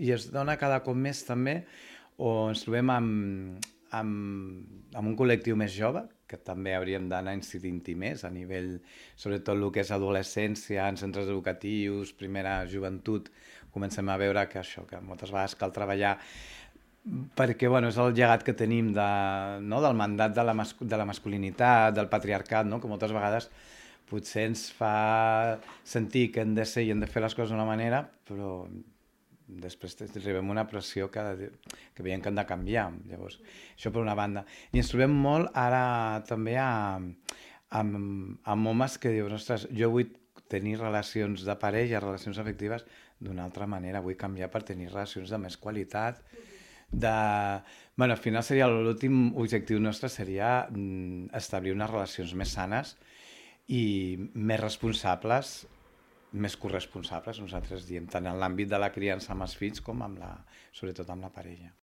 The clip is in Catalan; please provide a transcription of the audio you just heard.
i es dona cada cop més també, o ens trobem amb un col·lectiu més jove, que també hauríem d'anar incidint-hi més a nivell, sobretot el que és adolescència, en centres educatius, primera joventut, comencem a veure que això, que moltes vegades cal treballar perquè bueno, és el llegat que tenim del mandat de la masculinitat, del patriarcat, no? Que moltes vegades potser ens fa sentir que hem de ser i hem de fer les coses d'una manera, però després arribem a una pressió que veiem que hem de canviar. Llavors, això per una banda. I ens trobem molt ara també amb homes que diuen, ostres, jo vull tenir relacions de parella, relacions afectives d'una altra manera, vull canviar per tenir relacions de més qualitat, bueno, al final seria l'últim objectiu nostre seria establir unes relacions més sanes i més responsables, més corresponsables, nosaltres diem, tant en l'àmbit de la criança amb els fills com sobretot amb la parella.